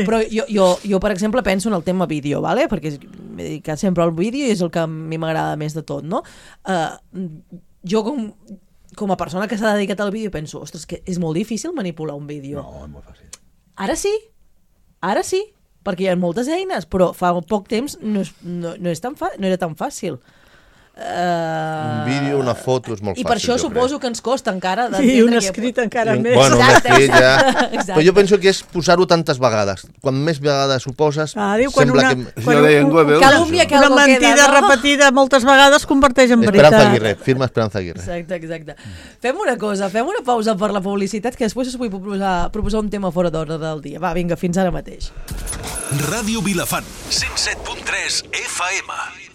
jo, per exemple, penso en el tema vídeo, perquè m'he dedicat sempre al vídeo i és el que a mi m'agrada més de tot, no? Jo, com a persona que s'ha dedicat al vídeo, penso, ostres, que és molt difícil manipular un vídeo. No, és molt fàcil. Ara sí, perquè hi ha moltes eines, però fa poc temps no era tan fàcil. Un vídeo, una foto és molt fàcil. I per això suposo que ens costa encara i un escrit encara més. Bueno, un escrit ja... Però jo penso que és posar-ho tantes vegades. Quan més vegades ho poses, sembla que... Calúmnia que una mentida repetida moltes vegades converteix en veritat. Esperanza Aguirre, firma Esperanza Aguirre. Exacte. Fem una cosa, fem una pausa per la publicitat, que després us vull proposar un tema fora d'ordre del dia. Va, vinga, fins ara mateix. Ràdio Vilafant, 107.3 FM.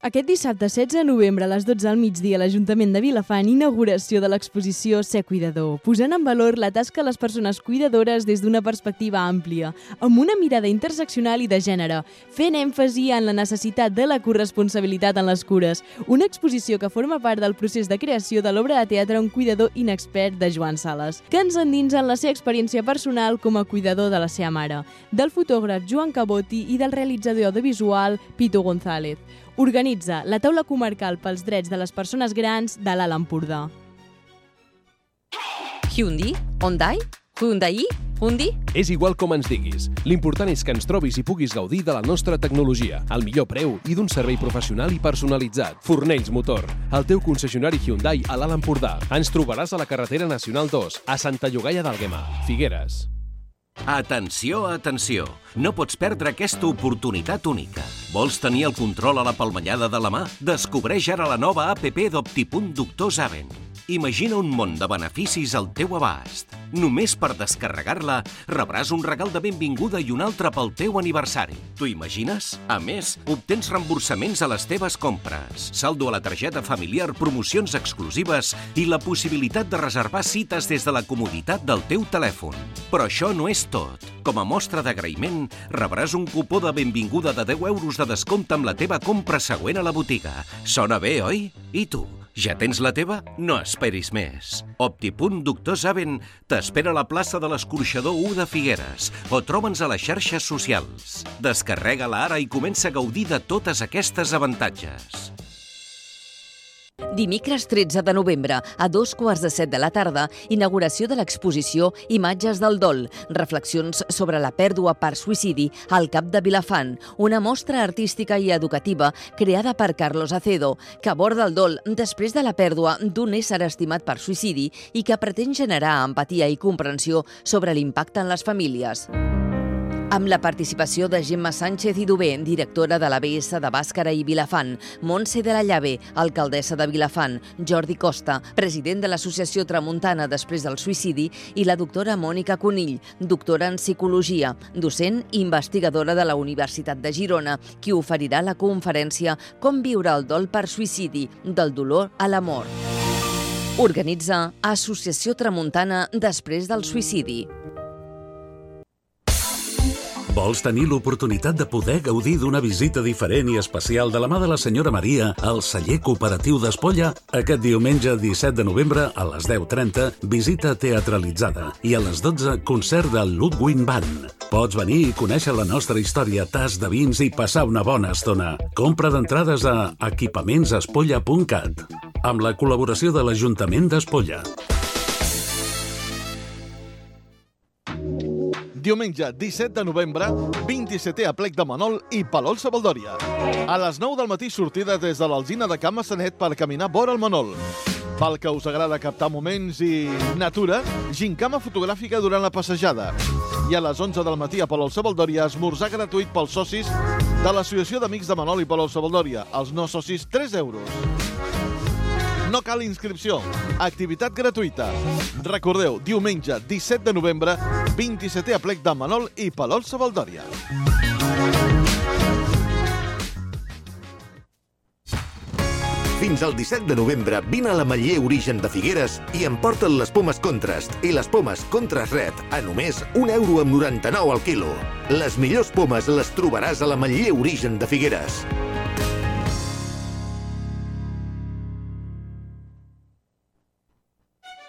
Aquest dissabte 16 de novembre a les 12 del migdia a l'Ajuntament de Vilafant, inauguració de l'exposició Ser Cuidador, posant en valor la tasca de les persones cuidadores des d'una perspectiva àmplia, amb una mirada interseccional i de gènere, fent èmfasi en la necessitat de la corresponsabilitat en les cures, una exposició que forma part del procés de creació de l'obra de teatre Un cuidador inexpert de Joan Sales, que ens endinsa en la seva experiència personal com a cuidador de la seva mare, del fotògraf Joan Caboti i del realitzador audiovisual Pito González. Organitza la taula comarcal pels drets de les persones grans de l'Alt Empordà. Hyundai? És igual com ens diguis. L'important és que ens trobis i puguis gaudir de la nostra tecnologia, al millor preu i d'un servei professional i personalitzat. Fornells Motor, el teu concessionari Hyundai a l'Alt Empordà. Ens trobaràs a la carretera Nacional 2, a Santa Llogaia d'Àlguema, Figueres. Atenció! No pots perdre aquesta oportunitat única. Vols tenir el control a la palmellada de la mà? Descobreix ara la nova APP d'Optipunt Doctor Zaven. Imagina un món de beneficis al teu abast. Només per descarregar-la rebràs un regal de benvinguda i un altre pel teu aniversari. T'ho imagines? A més, obtens reemborsaments a les teves compres, saldo a la targeta familiar, promocions exclusives i la possibilitat de reservar cites des de la comoditat del teu telèfon. Però això no és tot. Com a mostra d'agraïment, rebràs un cupó de benvinguda de 10 euros de descompte amb la teva compra següent a la botiga. Sona bé, oi? I tu? Ja tens la teva? No esperis més. Optipunt Doctor Zaven t'espera a la plaça de l'Escorxador 1 de Figueres o troba'ns a les xarxes socials. Descarrega-la ara i comença a gaudir de totes aquestes avantatges. Dimecres 13 de novembre, a 2:15 de la tarda, inauguració de l'exposició Imatges del dol, reflexions sobre la pèrdua per suïcidi al Cap de Vilafant, una mostra artística i educativa creada per Carlos Acedo, que aborda el dol després de la pèrdua d'un ésser estimat per suïcidi i que pretén generar empatia i comprensió sobre l'impacte en les famílies. Amb la participació de Gemma Sánchez i Dubé, directora de l'ABS de Bàscara i Vilafant, Montse de la Llave, alcaldessa de Vilafant, Jordi Costa, president de l'Associació Tramuntana després del suïcidi, i la doctora Mònica Conill, doctora en psicologia, docent i investigadora de la Universitat de Girona, qui oferirà la conferència Com viure el dol per suïcidi, del dolor a l'amor. Organitza Associació Tramuntana després del suïcidi. Vols tenir l'oportunitat de poder gaudir d'una visita diferent i especial de la mà de la senyora Maria al celler cooperatiu d'Espolla? Aquest diumenge 17 de novembre a les 10:30, visita teatralitzada i a les 12, concert del Ludwig Band. Pots venir i conèixer la nostra història, tas de vins i passar una bona estona. Compra d'entrades a equipamentsespolla.cat amb la col·laboració de l'Ajuntament d'Espolla. Diumenge 17 de novembre, 27è aplec de Manol i Palol Sabaldòria. A les 9 del matí sortida des de l'Alzina de Can Massanet per caminar vora el Manol. Pel que us agrada captar moments i natura, gincama fotogràfica durant la passejada. I a les 11 del matí a Palol Sabaldòria, esmorzar gratuït pels socis de l'Associació d'Amics de Manol i Palol Sabaldòria. Els no socis, 3 euros. No cal inscripció. Activitat gratuïta. Recordeu, diumenge 17 de novembre, 27è aplec de Manol i Palol Sabaldòria. Fins al 17 de novembre vine a l'Ametller Origen de Figueres i emporta't les pomes Contrast i les pomes Contrast Red a només €1,99 al quilo. Les millors pomes les trobaràs a l'Ametller Origen de Figueres.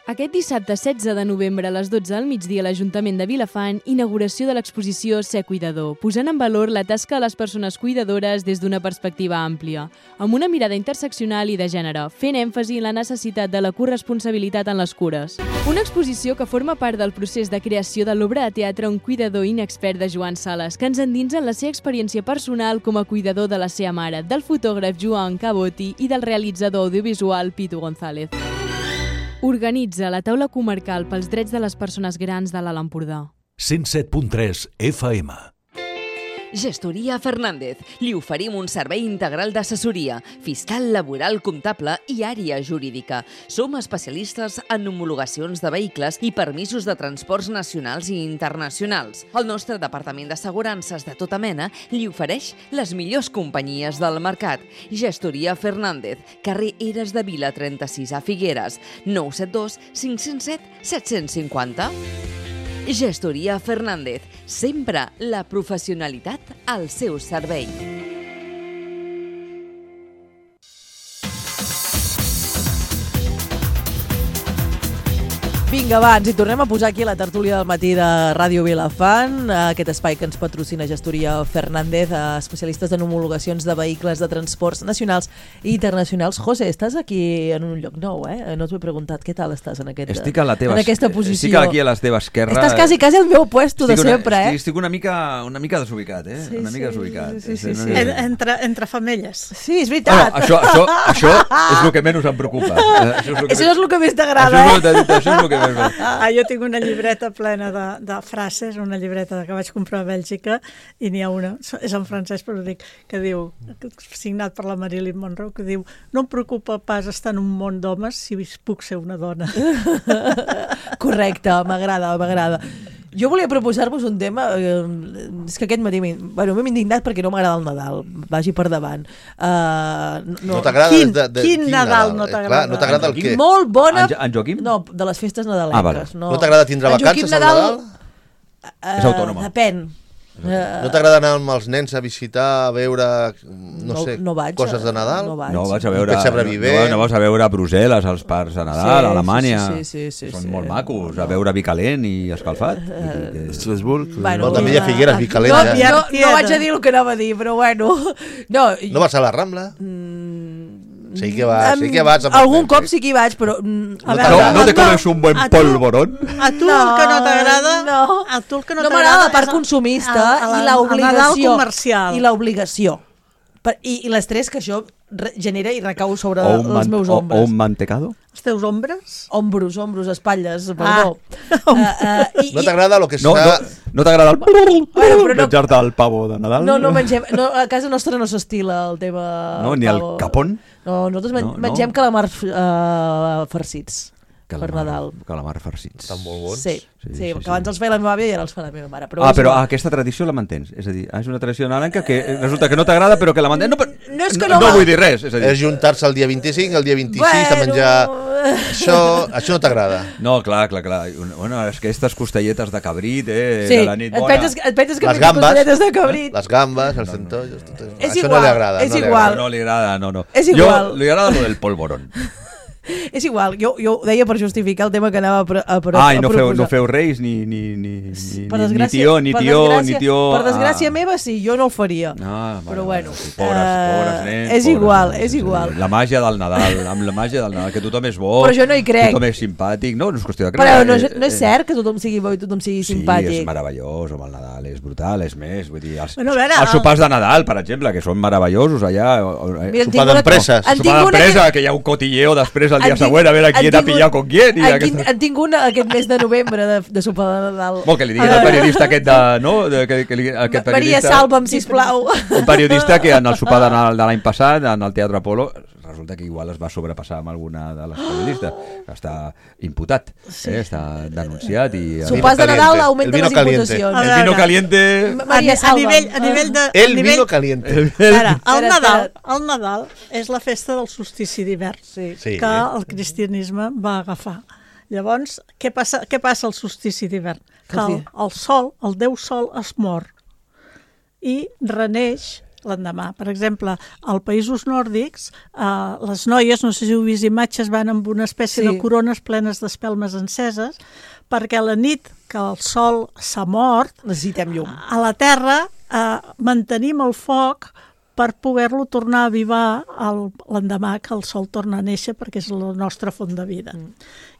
Aquest dissabte 16 de novembre a les 12 al migdia a l'Ajuntament de Vilafant, inauguració de l'exposició Ser Cuidador, posant en valor la tasca de les persones cuidadores des d'una perspectiva àmplia, amb una mirada interseccional i de gènere, fent èmfasi en la necessitat de la corresponsabilitat en les cures. Una exposició que forma part del procés de creació de l'obra de teatre Un cuidador inexpert de Joan Sales, que ens endinsa en la seva experiència personal com a cuidador de la seva mare, del fotògraf Joan Caboti i del realitzador audiovisual Pitu González. Organitza la taula comarcal pels drets de les persones grans de l'Alt Empordà. 107.3 FM. Gestoria Fernández. Li oferim un servei integral d'assessoria, fiscal, laboral, comptable i àrea jurídica. Som especialistes en homologacions de vehicles i permisos de transports nacionals i internacionals. El nostre departament d'assegurances de tota mena li ofereix les millors companyies del mercat. Gestoria Fernández, carrer Eres de Vila 36 a Figueres, 972 507 750. Gestoria Fernández, sempre la professionalitat al seu servei. Vinga, va, ens hi tornem a posar aquí a la tertúlia del matí de Ràdio Vilafant, aquest espai que ens patrocina Gestoria Fernández, especialistes en homologacions de vehicles de transports nacionals i internacionals. José, estàs aquí en un lloc nou, eh? No t'ho he preguntat, què tal estàs en aquesta posició? Estic aquí a la teva esquerra. Estàs quasi al meu puesto de sempre, eh? Estic una mica desubicat, eh? Sí, una mica desubicat. Sí. Entre femelles. Sí, és veritat. Això és el que menys em preocupa. Això és el que més t'agrada, Això és el que jo tinc una llibreta plena de frases, una llibreta que vaig comprar a Bèlgica, i n'hi ha una, és en francès però dic, que diu, signat per la Marilyn Monroe, que diu: no em preocupa pas estar en un món d'homes si puc ser una dona. Correcte, m'agrada. Jo volia proposar-vos un tema, és que aquest matí m'hem indignat perquè no m'agrada el Nadal, vagi per davant. No t'agrada quin Nadal no t'agrada? No t'agrada el què? Molt bona... En Joaquim? No, de les festes nadalenques. No t'agrada tindre vacances al Nadal? És autònoma. Depèn. No t'agrada anar amb els nens a visitar, a veure, coses de Nadal? No vas a veure a Brussel·les, als parcs de Nadal, a Alemanya. Sí. Són molt macos, a veure vi calent i escalfat. Estrasburg. També hi ha Figueres, vi calent. No vaig a dir el que anava a dir, però bueno. No vas a la Rambla? Sí que vas. Algun cop sí que hi vaig, però... No te comes un buen polvorón? A tu el que no t'agrada... No m'agrada la part consumista i l'obligació. Comercial. I l'obligació. I l'estrès que això genera i recau sobre els meus ombres. O un mantecado? Els teus ombres? Ombros, espatlles, perdó. No t'agrada el que està... No t'agrada el... menjar-te el pavo de Nadal? No mengem... A casa nostra no s'estila el tema... No, ni el capón? No, nosaltres mengem calamars farcits. Per Nadal. Calamar farcits. Estan molt bons. Sí, que abans els feia la meva àvia i ara els fa la meva mare. Però aquesta tradició la mantens? És a dir, és una tradició nadalenca que resulta que no t'agrada però que la mantens? No vull dir res. És juntar-se el dia 25, el dia 26, a menjar... Això no t'agrada. No, clar. Bueno, és que aquestes costelletes de cabrit, de la nit bona... Et penses que les costelletes de cabrit... Les gambes, els centolls... Això no li agrada. És igual. No li agrada, no. És igual. Li agrada lo del polvorón. És igual, jo ho deia per justificar el tema que anava a proposar. No feu reis ni tió. Per desgràcia meva sí, jo no el faria. Però bueno, pobres nens. És igual. La màgia del Nadal, amb la màgia del Nadal, que tothom és bo, però jo no hi crec. Tothom és simpàtic, no és qüestió de creure. Però no és cert que tothom sigui bo i tothom sigui simpàtic. Sí, és meravellós, home, el Nadal és brutal, és més, vull dir, els sopars de Nadal, per exemple, que són meravellosos allà, sopar d'empresa, que hi ha un cotilleo després el dia següent, a veure quién ha pillat con quién. En tinc un aquest mes de novembre de sopar de Nadal. Que li diguin al periodista aquest de... Maria, salva'm, sisplau. Un periodista que en el sopar de Nadal de l'any passat, en el Teatre Apolo, resulta que igual es va sobrepassar amb alguna de les periodistes, que està imputat, està denunciat. Sopars de Nadal augmenten les imputacions. El vino caliente... Maria, salva'm. A nivell de... El vino caliente. El Nadal és la festa del solstici d'hivern, que el cristianisme va agafar. Llavors, què passa al solstici d'hivern? Que el sol, el déu sol, es mor i reneix l'endemà. Per exemple, als països nòrdics, les noies, no sé si heu vist imatges, van amb una espècie de corones plenes d'espelmes enceses, perquè la nit que el sol s'ha mort, necessitem llum. A la terra mantenim el foc per poder-lo tornar a avivar l'endemà que el sol torna a néixer, perquè és la nostra font de vida.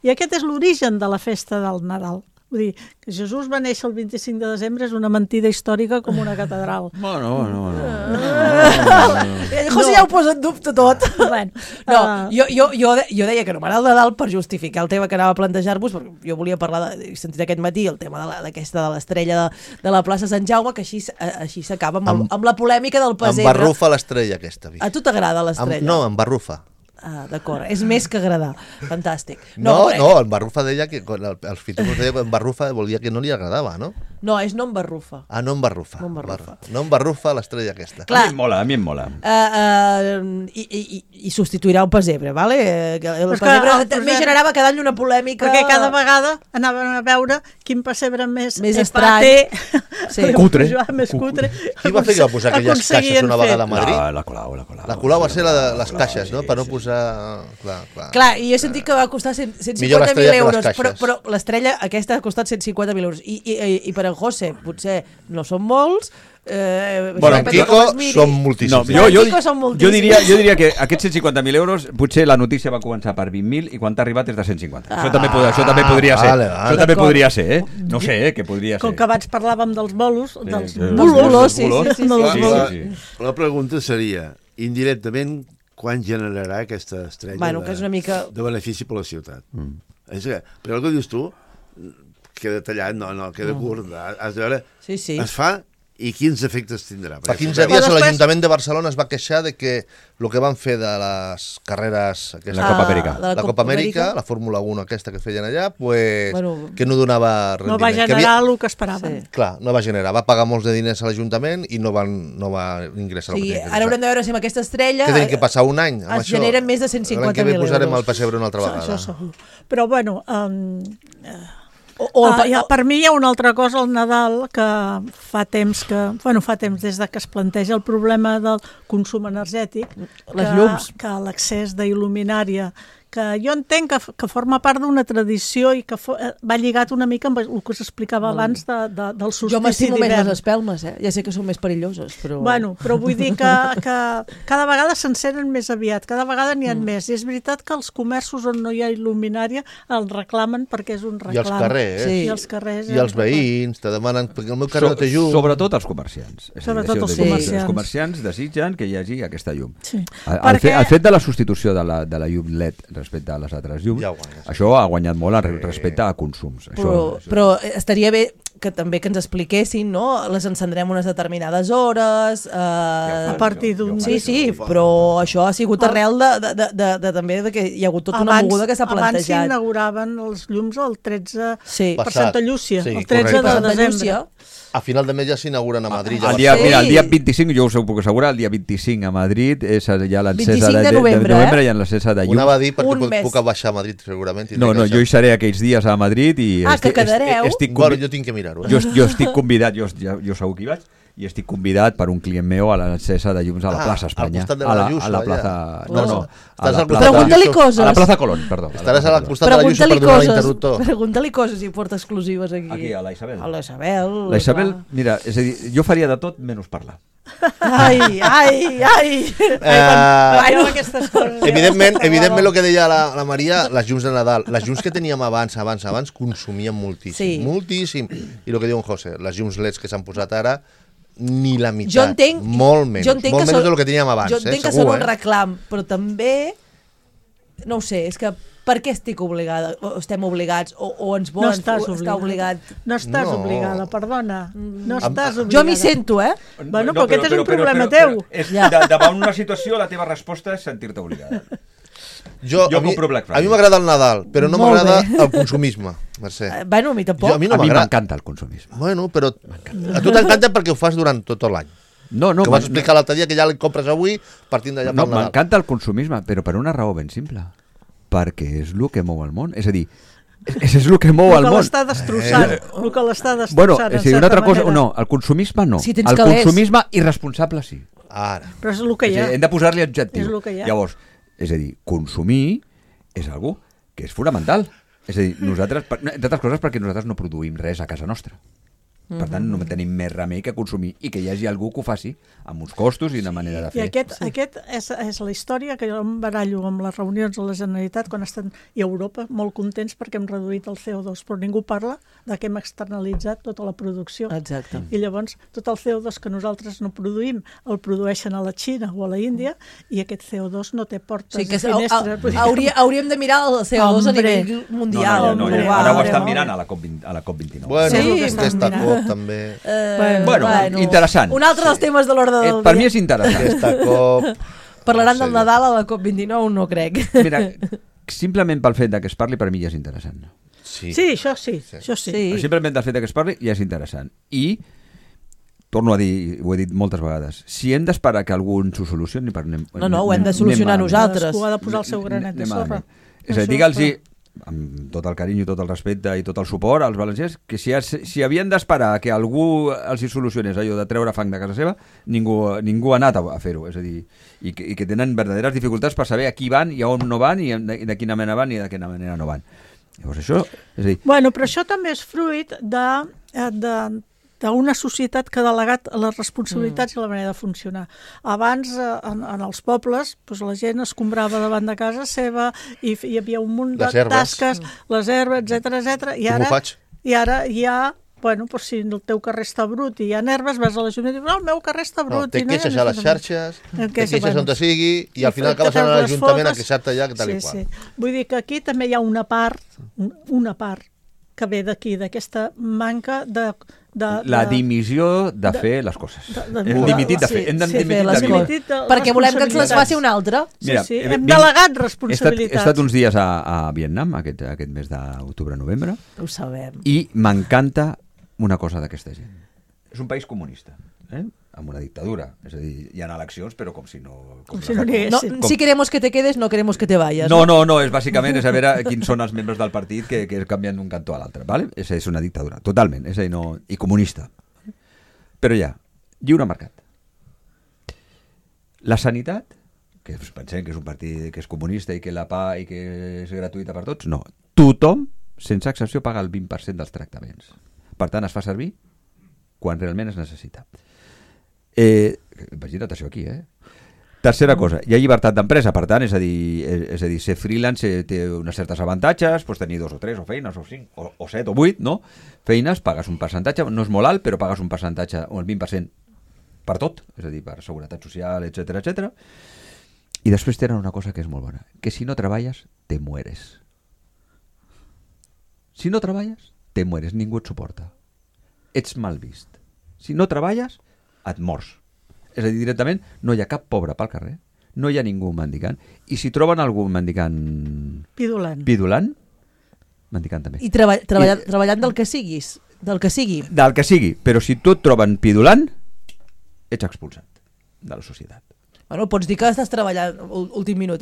I aquest és l'origen de la festa del Nadal. Vull dir, que Jesús va néixer el 25 de desembre és una mentida històrica com una catedral. No. José ja ho posa en dubte tot. Jo deia que no m'agrada el Nadal per justificar el tema que anava a plantejar-vos, perquè jo volia parlar, he sentit aquest matí el tema d'aquesta de l'estrella de la plaça Sant Jaume, que així s'acaba amb la polèmica del pessebre. Em barrufa l'estrella aquesta. A tu t'agrada l'estrella? No, em barrufa. D'acord, és més que agradar. Fantàstic. No, en Barrufa deia que els filòsofs deien que en Barrufa volia que no li agradava, no? No, és no en Barrufa. No en Barrufa. No en Barrufa l'estrella aquesta. Clar, a mi em mola. I substituirà un pessebre, vale? El pessebre també generava cada any una polèmica. Perquè cada vegada anaven a veure quin pessebre més estrany. Cutre. Més cutre. Qui va fer que va posar aquelles caixes una vegada a Madrid? La Colau. La Colau va ser les caixes, no? Per no posar... Clar, i jo he sentit que va costar 150.000 euros, però l'estrella aquesta ha costat 150.000 euros. I per en José potser no són molts, en Quico són moltíssims. Jo diria que aquests 150.000 euros potser la notícia va començar per 20.000 i quan t'ha arribat és de 150. Això també podria ser. Això també podria ser, no sé, què podria ser. Com que abans parlàvem dels bolos, dels bolos. La pregunta seria, indirectament, quan generarà aquesta estrella de benefici per la ciutat? Però el que dius tu queda tallat, no, queda curt. Has de veure, es fa i quins efectes tindrà. Fa 15 dies l'Ajuntament de Barcelona es va queixar de que el que van fer de les carreres... La Copa Amèrica. La Copa Amèrica, la Fórmula 1 aquesta que feien allà, que no donava rendiment. No va generar el que esperaven. Clar, no va generar. Va pagar molts de diners a l'Ajuntament i no va ingressar el que tenia que ara haurem de veure si amb aquesta estrella... Que tenim que passar un any amb això. Es generen més de 150.000 euros. L'any que ve posarem el pessebre una altra vegada. Això segur. Però bueno... per mi hi ha una altra cosa al Nadal que fa temps des de que es planteja el problema del consum energètic, les llums, que l'excés d'il·luminària jo entenc que forma part d'una tradició i que va lligat una mica amb el que s'explicava abans del solstici d'hivern. Jo m'estimo més les espelmes, ja sé que són més perilloses, però... Bueno, però vull dir que cada vegada s'encenen més aviat, cada vegada n'hi ha més. I és veritat que els comerços on no hi ha il·luminària el reclamen perquè és un reclam. I els carrers. Sí. I els carrers. I els veïns te demanen, perquè el meu carrer no té llum. Sobretot els comerciants. Sobretot els comerciants. Els comerciants desitgen que hi hagi aquesta llum. Sí. El fet de la substitució de la llum LED respecte a les altres llums, això ha guanyat molt respecte a consums. Però estaria bé que també que ens expliquessin, no? Les encendrem unes determinades hores... A partir d'un... Sí, però això ha sigut arrel també que hi ha hagut tota una moguda que s'ha plantejat. Abans s'inauguraven els llums el 13 per Passat. Santa Llúcia, Sí, el 13 correcte. de desembre. A final de mes ja s'inauguren a Madrid. El dia 25, jo us ho puc assegurar, el dia 25 a Madrid és ja l'encesa 25 de novembre, i en l'encesa de llum. Una va dir perquè puc baixar a Madrid segurament. No, jo hi seré aquells dies a Madrid i... que quedareu? Bueno, jo tinc que mirar-ho. Jo estic convidat, jo segur que hi vaig, i estic convidat per un client meu a l'encesa de llums a la plaça Espanya. Al costat de la Lluça, a la plaça... Pregunta-li coses. A la plaça Colón, perdó. Estaràs al costat de la Lluça per donar l'interruptor. Pregunta-li coses i porta exclusives aquí. Aquí, a la Isabel. A la Isabel. La Isabel, mira, és a dir, jo faria de tot menys parlar. Ai. Aquestes coses. Evidentment, el que deia la Maria, les llums de Nadal, les llums que teníem abans, consumien moltíssim, moltíssim. I el que diu en José, les llums LEDs que s'han posat ara, ni la meitat, molt menys del que teníem abans. Jo entenc que són un reclam, però també, no ho sé, és que per què estic obligada, o estem obligats, o ens volen estar obligat? No estàs obligada, perdona. No estàs obligada. Jo m'hi sento, Bueno, però aquest és un problema teu. Davant una situació, la teva resposta és sentir-te obligada. A mi m'agrada el Nadal, però no m'agrada el consumisme, Mercè. Bueno, a mi tampoc. A mi m'encanta el consumisme. Bueno, però a tu t'encanta perquè ho fas durant tot l'any. Que vas explicar l'altre dia que ja el compres avui partint d'allà pel Nadal. No, m'encanta el consumisme, però per una raó ben simple. Perquè és el que mou el món. És a dir, és el que mou el món. El que l'està destrossant. El que l'està destrossant, bueno, una altra cosa, no, el consumisme no. El consumisme irresponsable sí. Però és el que hi ha. Hem de posar-li adjectiu. És el que hi ha. Llavors, és a dir, consumir és algo que és fonamental. És a dir, nosaltres, entre altres coses perquè nosaltres no produïm res a casa nostra. Per tant, no tenim més remei que consumir i que hi hagi algú que ho faci amb uns costos i una manera de fer. I aquest és la història que jo em barallo amb les reunions de la Generalitat quan estan i a Europa molt contents perquè hem reduït el CO2, però ningú parla de que hem externalitzat tota la producció. Exacte. I llavors tot el CO2 que nosaltres no produïm el produeixen a la Xina o a la Índia i aquest CO2 no té portes i finestres. Hauríem de mirar el CO2 a nivell mundial. Ara ho estan mirant a la COP29. Bueno, aquesta COP també. Bueno, interessant. Un altre dels temes de l'ordre del dia. Per mi és interessant. Aquesta COP... Parlaran del Nadal a la COP29, no crec. Mira, simplement pel fet que es parli per mi ja és interessant. Sí, això sí. Simplement pel fet que es parli ja és interessant. I, torno a dir, ho he dit moltes vegades, si hem d'esperar que algú ens ho solucioni... No, ho hem de solucionar nosaltres. Cadascú ha de posar el seu granet de sorra. És a dir, digue'ls-hi, amb tot el carinyo, tot el respecte i tot el suport als valencians, que si havien d'esperar que algú els hi solucionés allò de treure fang de casa seva, ningú ha anat a fer-ho, és a dir, i que tenen verdaderes dificultats per saber a qui van i a on no van i de quina manera van i de quina manera no van. Llavors això, és a dir... Bueno, però això també és fruit d'una societat que ha delegat les responsabilitats i la manera de funcionar. Abans, en els pobles, la gent escombrava davant de casa seva i hi havia un munt de tasques, les herbes, etc. I ara hi ha... Bueno, si el teu carrer està brut i hi ha herbes, vas a l'Ajuntament i dius, el meu carrer està brut. Te queixes a les xarxes, te queixes on te sigui i al final acabes anant a l'Ajuntament a queixar-te allà tal i qual. Vull dir que aquí també hi ha una part que ve d'aquí, d'aquesta manca de... La dimissió de fer les coses. Hem dimitit de fer. Hem dimitit perquè volem que ens les faci un altre. Hem delegat responsabilitats. He estat uns dies a Vietnam, aquest mes d'octubre-novembre. Ho sabem. I m'encanta una cosa d'aquesta gent. És un país comunista, amb una dictadura. És a dir, hi ha eleccions, però com si no... Si queremos que te quedes, no queremos que te vayas. No, és bàsicament és a veure quins són els membres del partit que canvien d'un cantó a l'altre, ¿vale? És una dictadura, totalment, és a dir, no... i comunista. Però ja, lliure mercat. La sanitat que pensem que és un partit que és comunista i que la PA i que és gratuïta per tots. No, tothom, sense excepció, paga el 20% dels tractaments. Per tant, es fa servir quan realment es necessita. Imagina't això aquí, Tercera cosa, hi ha llibertat d'empresa, per tant, és a dir, ser freelance té unes certes avantatges, pots tenir 2 o 3 o feines, o 5, o 7 o 8, no? Feines, pagues un percentatge, no és molt alt, però pagues un percentatge, o el 20% per tot, és a dir, per seguretat social, etc etc. I després tenen una cosa que és molt bona, que si no treballes, te mueres. Si no treballes, te mueres, ningú et suporta. Ets mal vist. Si no treballes, et mors. És a dir, directament, no hi ha cap pobre pel carrer, no hi ha ningú mendicant, i si troben algú mendicant... Pidulant, mendicant també. I treballant del que siguis, del que sigui. Del que sigui, però si tu et troben pidulant, ets expulsat de la societat. Bueno, pots dir que estàs treballant, últim minut,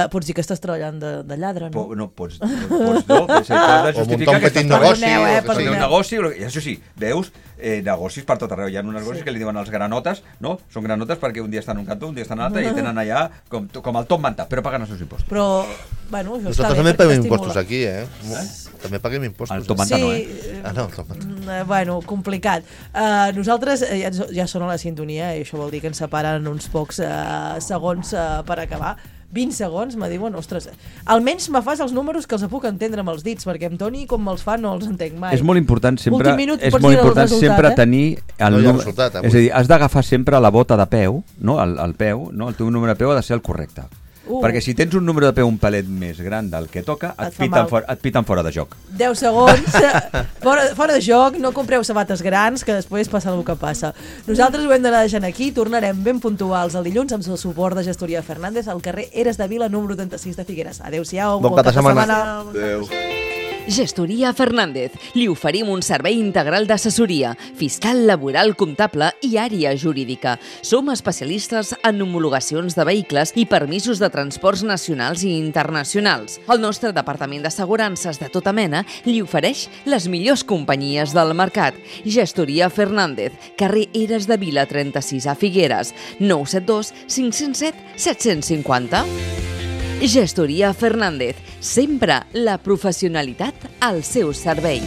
pots dir que estàs treballant de lladre, no? No, pots justificar que estàs treballant un negoci, i això sí, veus negocis per tot arreu. Hi ha uns negocis que li diuen els granotes, no? Són granotes perquè un dia estan en un cantó, un dia estan en l'altre, i tenen allà com el top manta, però paguen els seus impostos. Però, bueno, això nosaltres també paguem impostos aquí, També paguem impostos. El top manta no, no, el top manta. Bueno, complicat. Nosaltres ja sona la sintonia, i això vol dir que ens separen uns pocs segons per acabar. 20 segons, me diuen, ostres, almenys me fas els números que els puc entendre amb els dits, perquè amb Toni, com me'ls fa, no els entenc mai. És molt important sempre tenir el resultat. És a dir, has d'agafar sempre la bota de peu, no? El peu, no? El teu número de peu ha de ser el correcte. Perquè si tens un número de peu un palet més gran del que toca, et piten fora de joc. 10 segons, fora de joc, no compreu sabates grans, que després passa el que passa. Nosaltres ho hem d'anar deixant aquí, tornarem ben puntuals el dilluns amb el suport de Gestoria Fernández al carrer Eres de Vila, número 36 de Figueres. Adéu-siau, bon cap de setmana. Adéu. Gestoria Fernández. Li oferim un servei integral d'assessoria, fiscal, laboral, comptable i àrea jurídica. Som especialistes en homologacions de vehicles i permisos de transports nacionals i internacionals. El nostre departament d'assegurances de tota mena li ofereix les millors companyies del mercat. Gestoria Fernández, carrer Eres de Vila 36 a Figueres, 972 507 750. Gestoria Fernández, sempre la professionalitat al seu servei.